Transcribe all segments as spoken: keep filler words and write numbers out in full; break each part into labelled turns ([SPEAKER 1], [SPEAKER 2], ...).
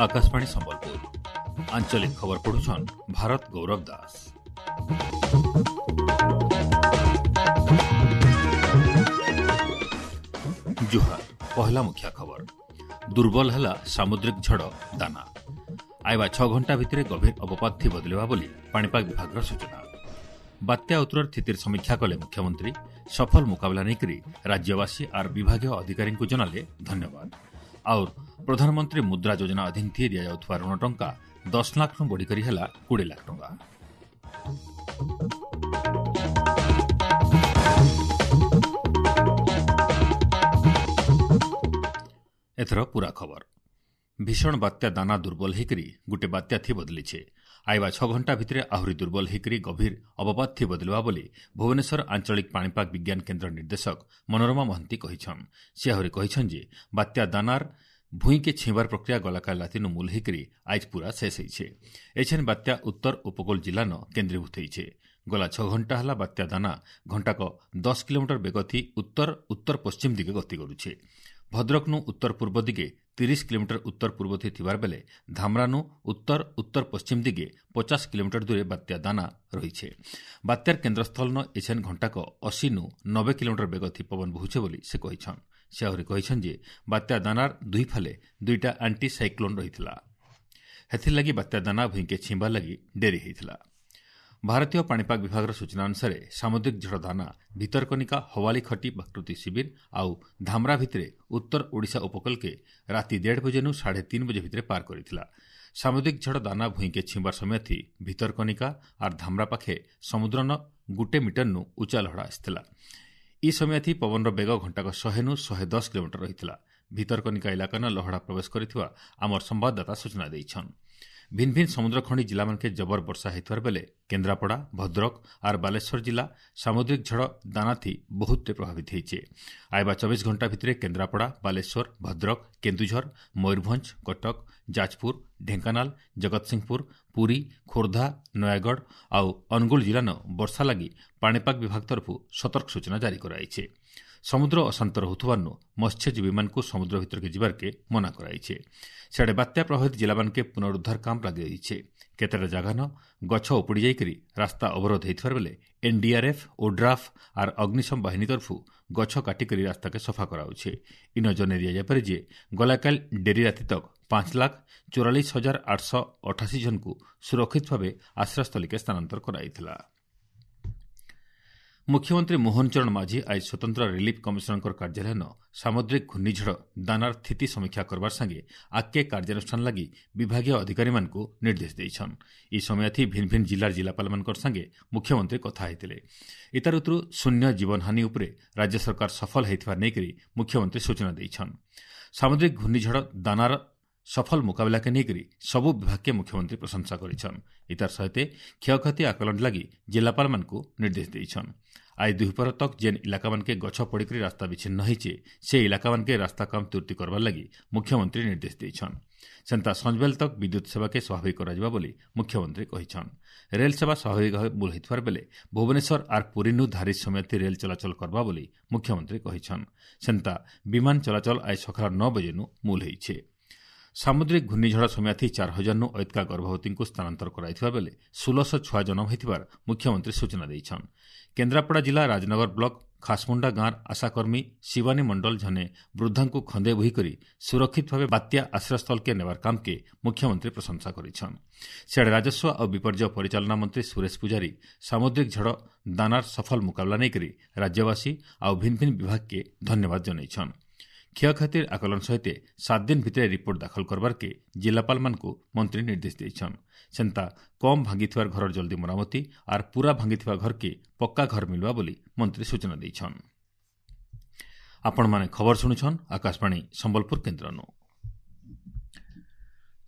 [SPEAKER 1] ଆକାଶବାଣୀ ସମ୍ବଲପୁର ଆଞ୍ଚଳିକ ଖବର ପଢୁଛନ୍ ଭାରତ ଗୌରବ ଦାସ। ଜୁହାର। ପହଲା ମୁଖ୍ୟ ଖବର। ଦୁର୍ବଳ ହେଲା ସାମୁଦ୍ରିକ ଝଡ଼ ଦାନା। ଆଇବା ଛଅ ଘଣ୍ଟା ଭିତରେ ଗଭୀର ଅବପାତ ଥି ବଦଳିବା ବୋଲି ପାଣିପାଗ ବିଭାଗର ସୂଚନା। ବାତ୍ୟା ଉତ୍ତରର ସ୍ଥିତିର ସମୀକ୍ଷା କଲେ ମୁଖ୍ୟମନ୍ତ୍ରୀ। ସଫଳ ମୁକାବିଲା ନେଇକରି ରାଜ୍ୟବାସୀ ଆର୍ ବିଭାଗୀୟ ଅଧିକାରୀଙ୍କୁ ଜଣାଲେ ଧନ୍ୟବାଦ। ଆଉ ପ୍ରଧାନମନ୍ତ୍ରୀ ମୁଦ୍ରା ଯୋଜନା ଅଧୀନ ଥି ଦିଆଯାଉଥିବା ଋଣ ଟଙ୍କା ଦଶ ଲାଖ୍ରୁ ବଢ଼ିକରି ହେଲା କୋଡ଼ିଏ ଲାଖ ଟଙ୍କା। ଏଥର ପୂରା ଖବର। ଭୀଷଣ ବାତ୍ୟା ଦାନା ଦୁର୍ବଳ ହେଇକରି ଗୋଟେ ବାତ୍ୟା ଥି ବଦଳିଛେ। ଆଇବା ଛଅ ଘଣ୍ଟା ଭିତରେ ଆହୁରି ଦୁର୍ବଳ ହେଇକରି ଗଭୀର ଅବପାତ ଥି ବଦଳିବା ବୋଲି ଭୁବନେଶ୍ୱର ଆଞ୍ଚଳିକ ପାଣିପାଗ ବିଜ୍ଞାନ କେନ୍ଦ୍ର ନିର୍ଦ୍ଦେଶକ ମନୋରମା ମହାନ୍ତି କହିଛନ୍। ସେ ଆହୁରି କହିଛନ୍ ଯେ ବାତ୍ୟା ଦାନାର ଭୂଇଁକେ ଛିଁବାର ପ୍ରକ୍ରିୟା ଗଲାକାଲି ରାତିନୁ ମୂଲ ହେଇକରି ଆଇଜ୍ ପୂରା ଶେଷ ହେଇଛେ। ଏଛେନ୍ ବାତ୍ୟା ଉତ୍ତର ଉପକୂଳ ଜିଲ୍ଲାନ କେନ୍ଦ୍ରୀଭୂତ ହେଇଛେ। ଗଲା ଛଅ ଘଣ୍ଟା ହେଲା ବାତ୍ୟା ଦାନା ଘଣ୍ଟାକ ଦଶ କିଲୋମିଟର ବେଗ ଥି ଉତ୍ତର ଉତ୍ତର ପଶ୍ଚିମ ଦିଗେ ଗତି କରୁଛେ। ଭଦ୍ରକନୁ ଉତ୍ତର ପୂର୍ବ ଦିଗେ ତିରିଶ କିଲୋମିଟର ଉତ୍ତର ପୂର୍ବ ଥି ଥିବାର ବେଲେ ଧାମରାନୁ ଉତ୍ତର ଉତ୍ତର ପଶ୍ଚିମ ଦିଗେ ପଚାଶ କିଲୋମିଟର ଦୂରେ ବାତ୍ୟା ଦାନା ରହିଛେ। ବାତ୍ୟାର କେନ୍ଦ୍ରସ୍ଥଳନ ଏଛେନ୍ ଘଣ୍ଟାକ ଅଶୀନୁ ନବେ କିଲୋମିଟର ବେଗ ଥି ପବନ ବହୁଛେ ବୋଲି ସେ କହିଛନ୍। ସେ ଆହୁରି କହିଛନ୍ ଯେ ବାତ୍ୟା ଦାନାର ଦୁଇ ଫାଲେ ଦୁଇଟା ଆଣ୍ଟି ସାଇକ୍ଲୋନ୍ ରହିଥିଲା। ହେଥିର୍ଲାଗି ବାତ୍ୟା ଦାନା ଭୂଇଁକେ ଛିଁବାର ଲାଗି ଡେରି ହେଇଥିଲା। ଭାରତୀୟ ପାଣିପାଗ ବିଭାଗର ସୂଚନା ଅନୁସାରେ ସାମୁଦ୍ରିକ ଝଡ଼ ଦାନା ଭିତରକନିକା ହୱାଲି ଖଟି ପ୍ରାକୃତିକ ଶିବିର ଆଉ ଧାମରା ଭିତରେ ଉତ୍ତର ଓଡ଼ିଶା ଉପକୂଳକେ ରାତି ଦେଢ଼ ବଜେନୁ ସାଢ଼େ ତିନି ବଜେ ଭିତରେ ପାର କରିଥିଲା। ସାମୁଦ୍ରିକ ଝଡ଼ ଦାନା ଭୂଇଁକେ ଛିଁବାର ସମୟ ଥି ଭିତରକନିକା ଆର୍ ଧାମରା ପାଖେ ସମୁଦ୍ରନ ଗୁଟେ ମିଟରନୁ ଉଚ୍ଚା ଲହଡ଼ା ଆସିଥିଲା। ଇ ସମୟ ଥି ପବନର ବେଗ ଘଣ୍ଟାକ ଶହେନୁ ଶହେ ଦଶ କିଲୋମିଟର ରହିଥିଲା। ଭିତରକନିକା ଇଲାକାନ ଲହଡ଼ା ପ୍ରବେଶ କରିଥିବା ଆମର ସମ୍ବାଦଦାତା ସୂଚନା ଦେଇଛନ୍। ଭିନ୍ ଭିନ୍ ସମୁଦ୍ରଖଣ୍ଡି ଜିଲ୍ଲାମାନକେ ଜବର ବର୍ଷା ହେଇଥିବାର ବେଲେ କେନ୍ଦ୍ରାପଡ଼ା, ଭଦ୍ରକ ଆର୍ ବାଲେଶ୍ୱର ଜିଲ୍ଲା ସାମୁଦ୍ରିକ ଝଡ଼ ଦାନାଥି ବହୁତଟେ ପ୍ରଭାବିତ ହେଇଛେ। ଆଇବା ଚବିଶ ଘଣ୍ଟା ଭିତରେ କେନ୍ଦ୍ରାପଡ଼ା, ବାଲେଶ୍ୱର, ଭଦ୍ରକ, କେନ୍ଦୁଝର, ମୟୂରଭଞ୍ଜ, କଟକ, ଯାଜପୁର, ଢେଙ୍କାନାଳ, ଜଗତସିଂହପୁର, ପୁରୀ, ଖୋର୍ଦ୍ଧା, ନୟାଗଡ଼ ଆଉ ଅନୁଗୁଳ ଜିଲ୍ଲାନ ବର୍ଷା ଲାଗି ପାଣିପାଗ ବିଭାଗ ତରଫରୁ ସତର୍କ ସୂଚନା ଜାରି କରାଯାଇଛି। ସମୁଦ୍ର ଅଶାନ୍ତ ରହୁଥିବାରୁ ମତ୍ସ୍ୟଜୀବୀମାନଙ୍କୁ ସମୁଦ୍ର ଭିତରକେ ଯିବାର୍କେ ମନା କରାଯାଇଛି। ସିଆଡ଼େ ବାତ୍ୟା ପ୍ରଭାବିତ ଜିଲ୍ଲାମାନକେ ପୁନରୁଦ୍ଧାର କାମ ଲାଗି ରହିଛେ। କେତେଟା ଜାଗାନ ଗଛ ଉପୁଡ଼ି ଯାଇକରି ରାସ୍ତା ଅବରୋଧ ହେଇଥିବାର ବେଲେ ଏନ୍ଡିଆର୍ଏଫ୍, ଓଡ୍ରାଫ୍ ଆର୍ ଅଗ୍ନିଶମ ବାହିନୀ ତରଫରୁ ଗଛ କାଟିକରି ରାସ୍ତାକେ ସଫା କରାଉଛେ। ଇନ ଜଣେଇ ଦିଆଯାଇପାରେ ଯେ ଗଲାକାଲି ଡେରି ରାତି ତକ୍ ପାଞ୍ଚ ଲାଖ ଚଉରାଳିଶ ହଜାର ଆଠଶହ ଅଠାଅଶୀ ଜଣଙ୍କୁ ସୁରକ୍ଷିତ ଭାବେ ଆଶ୍ରୟସ୍ଥଳୀକେ ସ୍ଥାନାନ୍ତର କରାଯାଇଥିଲା। ମୁଖ୍ୟମନ୍ତ୍ରୀ ମୋହନ ଚରଣ ମାଝୀ ଆଜି ସ୍ୱତନ୍ତ୍ର ରିଲିଫ୍ କମିଶନରଙ୍କ କାର୍ଯ୍ୟାଳୟନ ସାମୁଦ୍ରିକ ଘୂର୍ଣ୍ଣିଝଡ଼ ଦାନାର ସ୍ଥିତି ସମୀକ୍ଷା କରବାର ସାଙ୍ଗେ ଆଗ୍କେ କାର୍ଯ୍ୟାନୁଷ୍ଠାନ ଲାଗି ବିଭାଗୀୟ ଅଧିକାରୀମାନଙ୍କୁ ନିର୍ଦ୍ଦେଶ ଦେଇଛନ୍। ଇ ସମୟ ଥି ଭିନ୍ ଭିନ୍ ଜିଲ୍ଲାର ଜିଲ୍ଲାପାଳମାନଙ୍କର ସାଙ୍ଗେ ମୁଖ୍ୟମନ୍ତ୍ରୀ କଥା ହେଇଥିଲେ। ଇତାର ଉତ୍ତରୁ ଶୂନ୍ୟ ଜୀବନହାନି ଉପରେ ରାଜ୍ୟ ସରକାର ସଫଳ ହେଇଥିବା ନେଇକରି ମୁଖ୍ୟମନ୍ତ୍ରୀ ସୂଚନା ଦେଇଛନ୍। ସାମୁଦ୍ରିକ ଘୂର୍ଣ୍ଣିଝଡ଼ ଦାନାର ସଫଳ ମୁକାବିଲାକେ ନେଇକରି ସବୁ ବିଭାଗକେ ମୁଖ୍ୟମନ୍ତ୍ରୀ ପ୍ରଶଂସା କରିଛନ୍। ଇତାର ସହିତ କ୍ଷୟକ୍ଷତି ଆକଳନ ଲାଗି ଜିଲ୍ଲାପାଳମାନଙ୍କୁ ନିର୍ଦ୍ଦେଶ ଦେଇଛନ୍। ଆଜି ଦୁଇପହର ତକ୍ ଯେନ୍ ଇଲାକାମାନକେ ଗଛ ପଡ଼ିକରି ରାସ୍ତା ବିଚ୍ଛିନ୍ନ ହେଇଛେ ସେ ଇଲାକାମାନକେ ରାସ୍ତା କାମ ତୁର୍ତି କରବାର ଲାଗି ମୁଖ୍ୟମନ୍ତ୍ରୀ ନିର୍ଦ୍ଦେଶ ଦେଇଛନ୍। ସେନ୍ତା ସଞ୍ଜବେଲ ତକ୍ ବିଦ୍ୟୁତ୍ ସେବାକେ ସ୍ୱାଭାବିକ କରାଯିବା ବୋଲି ମୁଖ୍ୟମନ୍ତ୍ରୀ କହିଛନ୍। ରେଲ୍ ସେବା ସ୍ୱାଭାବିକ ଭାବେ ମୂଲ ହେଇଥିବାର ବେଲେ ଭୁବନେଶ୍ୱର ଆର୍ ପୁରୀନୁ ଧାରି ସମୟ ରେଲ୍ ଚଳାଚଳ କରବା ବୋଲି ମୁଖ୍ୟମନ୍ତ୍ରୀ କହିଛନ୍। ସେନ୍ତା ବିମାନ ଚଳାଚଳ ଆଜି ସକାଳ ନଅ ବଜେନୁ ମୂଲ ହେଇଛେ। ସାମୁଦ୍ରିକ ଘୂର୍ଣ୍ଣିଝଡ଼ ସମୟ ଥି ଚାର ହଜାରନୁ ଐତକା ଗର୍ଭବତୀଙ୍କୁ ସ୍ଥାନାନ୍ତର କରାଯାଇଥିବା ବେଲେ ଷୋଳଶହ ଛୁଆ ଜନ୍ମ ହୋଇଥିବାର ମୁଖ୍ୟମନ୍ତ୍ରୀ ସୂଚନା ଦେଇଛନ୍। କେନ୍ଦ୍ରାପଡ଼ା ଜିଲ୍ଲା ରାଜନଗର ବ୍ଲକ ଖାସମୁଣ୍ଡା ଗାଁର ଆଶାକର୍ମୀ ଶିବାନୀ ମଣ୍ଡଳ ଜଣେ ବୃଦ୍ଧାଙ୍କୁ ଖନ୍ଦେ ବୋହିକରି ସୁରକ୍ଷିତ ଭାବେ ବାତ୍ୟା ଆଶ୍ରୟସ୍ଥଳକେ ନେବାର କାମକେ ମୁଖ୍ୟମନ୍ତ୍ରୀ ପ୍ରଶଂସା କରିଛନ୍। ସିଆଡ଼େ ରାଜସ୍ୱ ଆଉ ବିପର୍ଯ୍ୟୟ ପରିଚାଳନା ମନ୍ତ୍ରୀ ସୁରେଶ ପୂଜାରୀ ସାମୁଦ୍ରିକ ଝଡ଼ ଦାନାର ସଫଳ ମୁକାବିଲା ନେଇକରି ରାଜ୍ୟବାସୀ ଆଉ ଭିନ୍ ଭିନ୍ ବିଭାଗକେ ଧନ୍ୟବାଦ ଜଣାଇଛନ୍। କ୍ଷୟକ୍ଷତିର ଆକଳନ ସହିତ ସାତ ଦିନ ଭିତରେ ରିପୋର୍ଟ ଦାଖଲ କରବାର୍କେ ଜିଲ୍ଲାପାଳମାନଙ୍କୁ ମନ୍ତ୍ରୀ ନିର୍ଦ୍ଦେଶ ଦେଇଛନ୍। ସେନ୍ତା କମ୍ ଭାଙ୍ଗିଥିବାର ଘରର ଜଲ୍ଦି ମରାମତି ଆର୍ ପୂରା ଭାଙ୍ଗିଥିବା ଘରକେ ପକ୍କା ଘର ମିଳିବା ବୋଲି ମନ୍ତ୍ରୀ ସୂଚନା ଦେଇଛନ୍। ଆପଣମାନେ ଖବର ଶୁଣୁଛନ୍ ଆକାଶବାଣୀ ସମ୍ବଲପୁର କେନ୍ଦ୍ରନୁ।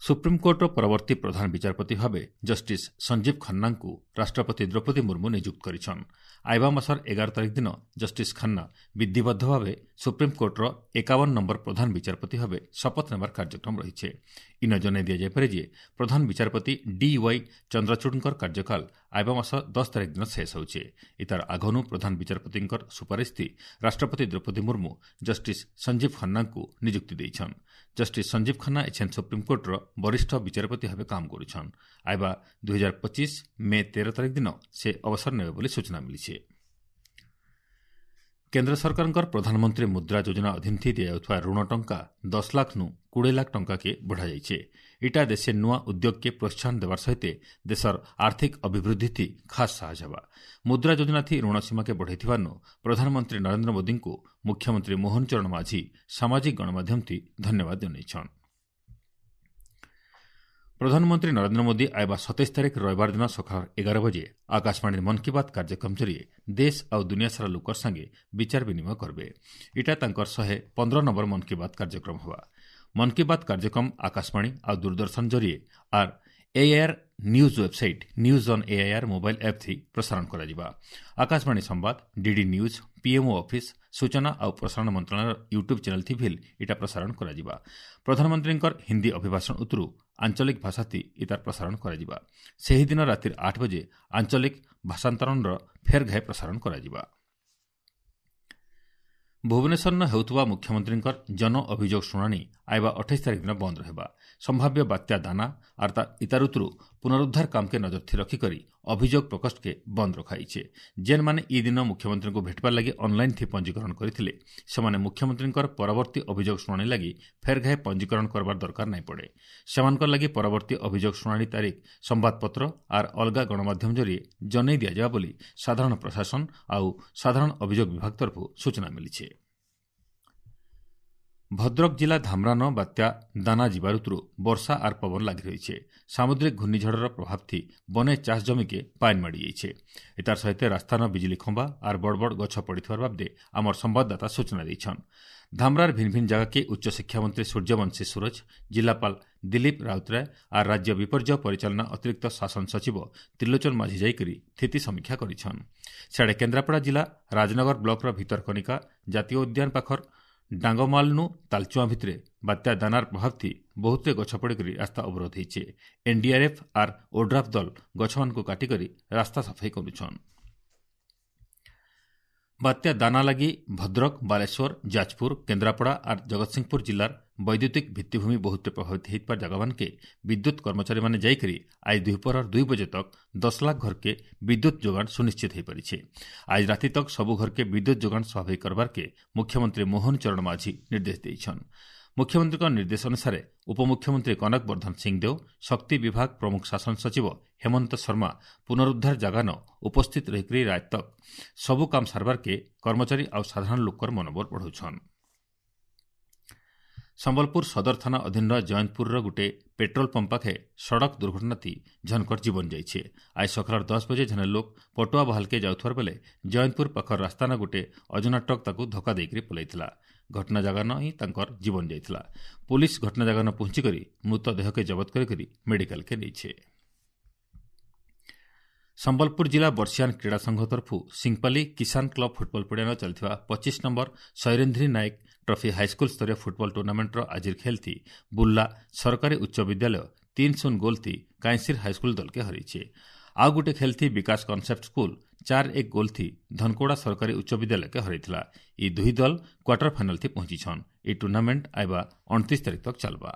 [SPEAKER 1] ସୁପ୍ରିମକୋର୍ଟର ପରବର୍ତ୍ତୀ ପ୍ରଧାନ ବିଚାରପତି ଭାବେ ଜଷ୍ଟିସ୍ ସଞ୍ଜୀବ ଖାନ୍ନାଙ୍କୁ ରାଷ୍ଟ୍ରପତି ଦ୍ରୌପଦୀ ମୁର୍ମୁ ନିଯୁକ୍ତ କରିଛନ୍। ଆଇବା ମାସର ଏଗାର ତାରିଖ ଦିନ ଜଷ୍ଟିସ୍ ଖାନ୍ନା ବିଧିବଦ୍ଧ ଭାବେ ସୁପ୍ରିମକୋର୍ଟର ଏକାବନ ନମ୍ବର ପ୍ରଧାନ ବିଚାରପତି ଭାବେ ଶପଥ ନେବାର କାର୍ଯ୍ୟକ୍ରମ ରହିଛି। ଇନ ଜଣାଇ ଦିଆଯାଇପାରେ ଯେ ପ୍ରଧାନ ବିଚାରପତି ଡି ୱାଇ ଚନ୍ଦ୍ରଚୂଡ଼ଙ୍କର କାର୍ଯ୍ୟକାଳ ଆଇବା ମାସ ଦଶ ତାରିଖ ଦିନ ଶେଷ ହେଉଛି। ଇତାର ଆଗନୁ ପ୍ରଧାନ ବିଚାରପତିଙ୍କର ସୁପାରିଶ ରାଷ୍ଟ୍ରପତି ଦ୍ରୌପଦୀ ମୁର୍ମୁ ଜଷ୍ଟିସ୍ ସଞ୍ଜୀବ ଖନ୍ନାଙ୍କୁ ନିଯୁକ୍ତି ଦେଇଛନ୍। ଜଷ୍ଟିସ୍ ସଞ୍ଜୀବ ଖନ୍ନା ଏଛେନ୍ ସୁପ୍ରିମକୋର୍ଟର ବରିଷ୍ଠ ବିଚାରପତି ଭାବେ କାମ କରୁଛନ୍। ଆଇବା ଦୁଇ ହଜାର ପଚିଶ ମେ ତେର ତାରିଖ ଦିନ ସେ ଅବସର ନେବେ ବୋଲି ସୂଚନା ମିଳିଛି। କେନ୍ଦ୍ର ସରକାରଙ୍କର ପ୍ରଧାନମନ୍ତ୍ରୀ ମୁଦ୍ରା ଯୋଜନା ଅଧୀନ ଦିଆଯାଉଥିବା ଋଣ ଟଙ୍କା ଦଶ ଲାଖ୍ନୁ କୋଡ଼ିଏ ଲାଖ ଟଙ୍କାକେ ବଢ଼ାଯାଇଛି। ଇଟା ଦେଶେ ନୂଆ ଉଦ୍ୟୋଗକେ ପ୍ରୋତ୍ସାହନ ଦେବାର ସହିତ ଦେଶର ଆର୍ଥିକ ଅଭିବୃଦ୍ଧି ଖାସ୍ ସାହାଯ୍ୟ ହେବା। ମୁଦ୍ରା ଯୋଜନାଥି ଋଣ ସୀମାକେ ବଢ଼ାଇଥିବାରୁ ପ୍ରଧାନମନ୍ତ୍ରୀ ନରେନ୍ଦ୍ର ମୋଦିଙ୍କୁ ମୁଖ୍ୟମନ୍ତ୍ରୀ ମୋହନ ଚରଣ ମାଝୀ ସାମାଜିକ ଗଣମାଧ୍ୟମଥି ଧନ୍ୟବାଦ ଜଣାଇଛନ୍। ପ୍ରଧାନମନ୍ତ୍ରୀ ନରେନ୍ଦ୍ର ମୋଦି ଆଇବା ସତେଇଶ ତାରିଖ ରବିବାର ଦିନ ସକାଳ ଏଗାର ବଜେ ଆକାଶବାଣୀର ମନ୍ କି ବାତ୍ କାର୍ଯ୍ୟକ୍ରମ ଜରିଏ ଦେଶ ଆଉ ଦୁନିଆ ସାରା ଲୋକର ସାଙ୍ଗେ ବିଚାର ବିନିମୟ କରିବେ। ଇଟା ତାଙ୍କର ଶହେ ପନ୍ଦର ନମ୍ବର ମନ୍ କି ବାତ୍ କାର୍ଯ୍ୟକ୍ରମ ହେବା। ମନ୍ କି ବାତ୍ କାର୍ଯ୍ୟକ୍ରମ ଆକାଶବାଣୀ ଆଉ ଦୂରଦର୍ଶନ ଜରିଏ ଆର୍ AIR news website, news on AIR mobile app ଥି ପ୍ରସାରଣ କରାଯିବା। ଆକାଶବାଣୀ ସମ୍ବାଦ, ଡିଡି ନ୍ୟୁଜ୍, ପିଏମ୍ଓ ଅଫିସ୍, ସୂଚନା ଆଉ ପ୍ରସାରଣ ମନ୍ତ୍ରଣାଳୟର ୟୁଟ୍ୟୁବ୍ ଚ୍ୟାନେଲ୍ ଥି ଭିଲ୍ ଇଟା ପ୍ରସାରଣ କରାଯିବା। ପ୍ରଧାନମନ୍ତ୍ରୀଙ୍କର ହିନ୍ଦୀ ଅଭିଭାଷଣ ଉତ୍ତରୁ ଆଞ୍ଚଳିକ ଭାଷାଥି ଇତାର ପ୍ରସାରଣ କରାଯିବା। ସେହିଦିନ ରାତିର ଆଠ ବଜେ ଆଞ୍ଚଳିକ ଭାଷାନ୍ତରଣର ଫେର୍ ଘାଏ ପ୍ରସାରଣ କରାଯିବା। ଭୁବନେଶ୍ୱରନ ହେଉଥିବା ମୁଖ୍ୟମନ୍ତ୍ରୀଙ୍କର ଜନ ଅଭିଯୋଗ ଶୁଣାଣି ଆଇବା ଅଠେଇଶ ତାରିଖ ଦିନ ବନ୍ଦ ରହିବା। ସମ୍ଭାବ୍ୟ ବାତ୍ୟା ଦାନା ଆର୍ ଇତାରୁତରୁ ପୁନରୁଦ୍ଧାର କାମକେ ନଜର ରଖିକରି ଅଭିଯୋଗ ପ୍ରକୋଷ୍ଠକେ ବନ୍ଦ ରଖାଯାଇଛି। ଯେନ୍ମାନେ ଇ ଦିନ ମୁଖ୍ୟମନ୍ତ୍ରୀଙ୍କୁ ଭେଟବାର ଲାଗି ଅନ୍ଲାଇନ୍ ଥି ପଞ୍ଜୀକରଣ କରିଥିଲେ, ସେମାନେ ମୁଖ୍ୟମନ୍ତ୍ରୀଙ୍କର ପରବର୍ତ୍ତୀ ଅଭିଯୋଗ ଶୁଣାଣି ଲାଗି ଫେର୍ ଘାଏ ପଞ୍ଜୀକରଣ କରବାର ଦରକାର ନାଇଁ ପଡ଼େ। ସେମାନଙ୍କର ଲାଗି ପରବର୍ତ୍ତୀ ଅଭିଯୋଗ ଶୁଣାଣି ତାରିଖ ସମ୍ବାଦପତ୍ର ଆର୍ ଅଲଗା ଗଣମାଧ୍ୟମ ଜରିଏ ଜଣାଇ ଦିଆଯିବା ବୋଲି ସାଧାରଣ ପ୍ରଶାସନ ଆଉ ସାଧାରଣ ଅଭିଯୋଗ ବିଭାଗ ତରଫରୁ ସୂଚନା ମିଳିଛି। ଭଦ୍ରକ ଜିଲ୍ଲା ଧାମରାନ ବାତ୍ୟା ଦାନା ଯିବାରୁତରୁ ବର୍ଷା ଆର୍ ପବନ ଲାଗି ରହିছে। ସାମୁଦ୍ରିକ ଘୂର୍ଣ୍ଣିଝଡ଼ର ପ୍ରଭାବ ଥି ବନେ ଚାଷ ଜମିକେ ପାଏନ୍ ମାଡ଼ି ଯାଇଛେ। ଏତାର ସହିତ ରାସ୍ତାନ ବିଜୁଳି ଖମ୍ବା ଆର୍ ବଡ଼ ବଡ଼ ଗଛ ପଡ଼ିଥିବାର ବାବଦେ ଆମର ସମ୍ବାଦଦାତା ସୂଚନା ଦେଇଛନ୍। ଧାମରାର ଭିନ୍ ଭିନ୍ ଜାଗାକେ ଉଚ୍ଚଶିକ୍ଷାମନ୍ତ୍ରୀ ସୂର୍ଯ୍ୟବଂଶୀ ସୂରଜ, ଜିଲ୍ଲାପାଳ ଦିଲ୍ଲୀପ ରାଉତରାୟ ଆର୍ ରାଜ୍ୟ ବିପର୍ଯ୍ୟୟ ପରିଚାଳନା ଅତିରିକ୍ତ ଶାସନ ସଚିବ ତ୍ରିଲୋଚନ ମାଝୀ ଯାଇକରି ସ୍ଥିତି ସମୀକ୍ଷା କରିଛନ୍। ସିଆଡ଼େ କେନ୍ଦ୍ରାପଡ଼ା ଜିଲ୍ଲା ରାଜନଗର ବ୍ଲକର ଭିତରକନିକା ଜାତୀୟ ଉଦ୍ୟାନ ପାଖର ଡାଙ୍ଗମାଲନୁ ତାଲଚୁଆଁ ଭିତରେ ବାତ୍ୟା ଦାନାର ପ୍ରଭାବ ଥି ବହୁତେ ଗଛ ପଡ଼ିକରି ରାସ୍ତା ଅବରୋଧ ହେଇଛେ। ଏନ୍ଡିଆର୍ଏଫ୍ ଆର୍ ଓଡ୍ରାଫ୍ ଦଳ ଗଛମାନଙ୍କୁ କାଟିକରି ରାସ୍ତା ସଫେଇ କରୁଛନ୍। ବାତ୍ୟା ଦାନା ଲାଗି ଭଦ୍ରକ, ବାଲେଶ୍ୱର, ଯାଜପୁର, କେନ୍ଦ୍ରାପଡ଼ା ଆର୍ ଜଗତସିଂହପୁର ଜିଲ୍ଲାର ବୈଦ୍ୟୁତିକ ଭିତ୍ତିଭୂମି ବହୁତ ପ୍ରଭାବିତ ହେଇଥିବା ଜାଗାମାନକେ ବିଦ୍ୟୁତ୍ କର୍ମଚାରୀମାନେ ଯାଇକରି ଆଜି ଦ୍ୱିପହର ଦୁଇ ବଜେ ତକ୍ ଦଶ ଲାଖ ଘରକେ ବିଦ୍ୟୁତ୍ ଯୋଗାଣ ସୁନିଶ୍ଚିତ ହୋଇପାରିছে। ଆଜି ରାତି ତକ୍ ସବୁ ଘରକେ ବିଦ୍ୟୁତ୍ ଯୋଗାଣ ସ୍ୱାଭାବିକ କରବାରକେ ମୁଖ୍ୟମନ୍ତ୍ରୀ ମୋହନ ଚରଣ ମାଝୀ ନିର୍ଦ୍ଦେଶ ଦେଇଛନ୍। ମୁଖ୍ୟମନ୍ତ୍ରୀଙ୍କ ନିର୍ଦ୍ଦେଶ ଅନୁସାରେ ଉପମୁଖ୍ୟମନ୍ତ୍ରୀ କନକ ବର୍ଦ୍ଧନ ସିଂଦେଓ, ଶକ୍ତି ବିଭାଗ ପ୍ରମୁଖ ଶାସନ ସଚିବ ହେମନ୍ତ ଶର୍ମା ପୁନରୁଦ୍ଧାର ଜାଗାନ ଉପସ୍ଥିତ ରହିକରି ରାତି ତକ୍ ସବୁ କାମ ସାରବାରକେ କର୍ମଚାରୀ ଆଉ ସାଧାରଣ ଲୋକର ମନୋବଳ ବଢ଼ାଉଛନ୍। ସମ୍ବଲପୁର ସଦର ଥାନା ଅଧୀନର ଜୟନ୍ତପୁରର ଗୋଟିଏ ପେଟ୍ରୋଲ ପମ୍ପ ପାଖେ ସଡ଼କ ଦୁର୍ଘଟଣାତି ଝନକର ଜୀବନ ଯାଇଛି। ଆଜି ସକାଳ ଦଶ ବଜେ ଜଣେ ଲୋକ ପଟୁଆ ବାହାଲକେ ଯାଉଥିବାର ବେଲେ ଜୟନ୍ତପୁର ପାଖର ରାସ୍ତାନ ଗୋଟିଏ ଅଜଣା ଟ୍ରକ୍ ତାକୁ ଧକ୍କା ଦେଇକରି ପଲାଇଥିଲା। ଘଟଣା ଜାଗାନ ହିଁ ତାଙ୍କର ଜୀବନ ଯାଇଥିଲା। ପୁଲିସ ଘଟଣା ଜାଗାନ ପହଞ୍ଚିକରି ମୃତଦେହକେ ଜବତ କରିକରି ମେଡିକାଲକେ ନେଇছে। ସମ୍ବଲପୁର ଜିଲ୍ଲା ବର୍ଷିଆନ କ୍ରୀଡ଼ା ସଂଘ ତରଫରୁ ସିଂପାଲି କିଷାନ କ୍ଲବ ଫୁଟବଲ ପଡ଼ିଆନ ଚାଲିଥିବା ପଚିଶ number Sairendri Nayak trophy high school ସ୍ତରୀୟ ଫୁଟବଲ ଟୁର୍ଣ୍ଣାମେଣ୍ଟର ଆଜିର ଖେଳଥି ବୁର୍ଲା ସରକାରୀ ଉଚ୍ଚ ବିଦ୍ୟାଳୟ ତିନି ଶୂନ ଗୋଲଥି କାଇଁସିର ହାଇସ୍କୁଲ ଦଲକେ ହରାଇছে। ଆଉ ଗୋଟେ ଖେଳଥି ବିକାଶ କନସେପ୍ଟ ସ୍କୁଲ ଚାର ଏକ ଗୋଲଥି ଧନକୋଡ଼ା ସରକାରୀ ଉଚ୍ଚ ବିଦ୍ୟାଳୟକେ ହରାଇଥିଲା। ଏହି ଦୁଇ ଦଳ କ୍ୱାର୍ଟର ଫାଇନାଲଥି ପହଞ୍ଚିଛନ୍। ଏହି ଟୁର୍ଣ୍ଣାମେଣ୍ଟ ଆଇବା ଅଣତିରିଶ ତାରିଖ ତକ ଚାଲବା।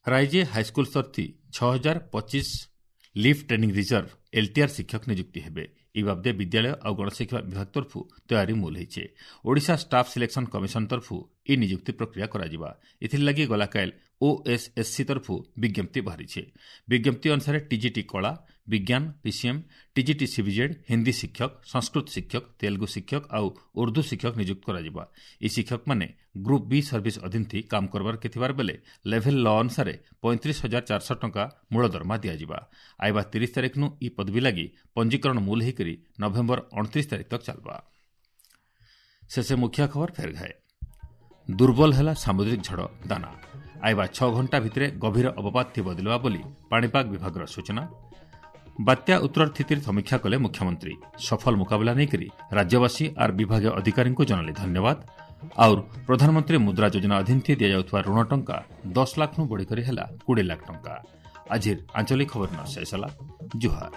[SPEAKER 1] ରାଇଜେ ହାଇସ୍କୁଲ ସ୍ତରଥି ଛଅ ହଜାର ପଚିଶ ଲିଭ୍ ଟ୍ରେନିଂ ରିଜର୍ଭ ଏଲ୍ଟିଆର୍ ଶିକ୍ଷକ ନିଯୁକ୍ତି ହେବେ। ଇ ବାବଦେ ବିଦ୍ୟାଳୟ ଆଉ ଗଣଶିକ୍ଷା ବିଭାଗ ତରଫରୁ ତୟାରୀ ମୂଲ ହେଇଛେ। ଓଡ଼ିଶା ଷ୍ଟାଫ୍ ସିଲେକ୍ସନ୍ କମିଶନ ତରଫରୁ ଇ ନିଯୁକ୍ତି ପ୍ରକ୍ରିୟା କରାଯିବା। ଏଥିର୍ଲାଗି ଗଲାକାଲ ଓଏସ୍ଏସ୍ସି ତରଫରୁ ବିଜ୍ଞପ୍ତି ବାହାରିଛେ। ବିଜ୍ଞପ୍ତି ଅନୁସାରେ ଟିଜିଟି କଳା, ବିଜ୍ଞାନ, ପିସିଏମ୍, ଟିଜିଟି ସିବିଜେଡ୍, ହିନ୍ଦୀ ଶିକ୍ଷକ, ସଂସ୍କୃତ ଶିକ୍ଷକ, ତେଲୁଗୁ ଶିକ୍ଷକ ଆଉ ଉର୍ଦ୍ଦୁ ଶିକ୍ଷକ ନିଯୁକ୍ତ କରାଯିବା। ଏହି ଶିକ୍ଷକମାନେ ଗ୍ରୁପ୍ ବି ସର୍ଭିସ୍ ଅଧୀନ କାମ କରବାରକେ ଥିବାର ବେଲେ ଲେଭେଲ୍ ଲ ଅନୁସାରେ ପଇଁତିରିଶ ହଜାର ଚାରିଶହ ଟଙ୍କା ମୂଳ ଦରମା ଦିଆଯିବା। ଆଇବା ତିରିଶ ତାରିଖନୁ ଇ ପଦବୀ ଲାଗି ପଞ୍ଜୀକରଣ ମୂଲ ହେଇକରି ନଭେମ୍ବର ଅଣତିରିଶ ତାରିଖ ତକ୍ ଚାଲବା। ଶେଷେ ମୁଖ୍ୟ ଖବର ଫେର ଘାଏ। ଦୁର୍ବଳ ହେଲା ସାମୁଦ୍ରିକ ଝଡ଼ ଦାନା। ଆଇବା ଛଅ ଘଣ୍ଟା ଭିତରେ ଗଭୀର ଅବପାତ ଥି ବଦଳିବା ବୋଲି ପାଣିପାଗ ବିଭାଗର ସୂଚନା। ବାତ୍ୟା ଉତ୍ତର ସ୍ଥିତିର ସମୀକ୍ଷା କଲେ ମୁଖ୍ୟମନ୍ତ୍ରୀ। ସଫଳ ମୁକାବିଲା ନେଇକରି ରାଜ୍ୟବାସୀ ଆର୍ ବିଭାଗୀୟ ଅଧିକାରୀଙ୍କୁ ଜଣାଲେ ଧନ୍ୟବାଦ। ଆଉର ପ୍ରଧାନମନ୍ତ୍ରୀ ମୁଦ୍ରା ଯୋଜନା ଅଧୀନ ଦିଆଯାଉଥିବା ଋଣ ଟଙ୍କା ଦଶ ଲାଖ୍ରୁ ବଢ଼ିକରି ହେଲା କୋଡ଼ିଏ ଲାଖ ଟଙ୍କା। ଆଜିର ଆଞ୍ଚଳିକ ଖବର ଶେଷ ହେଲା। ଜୁହାର।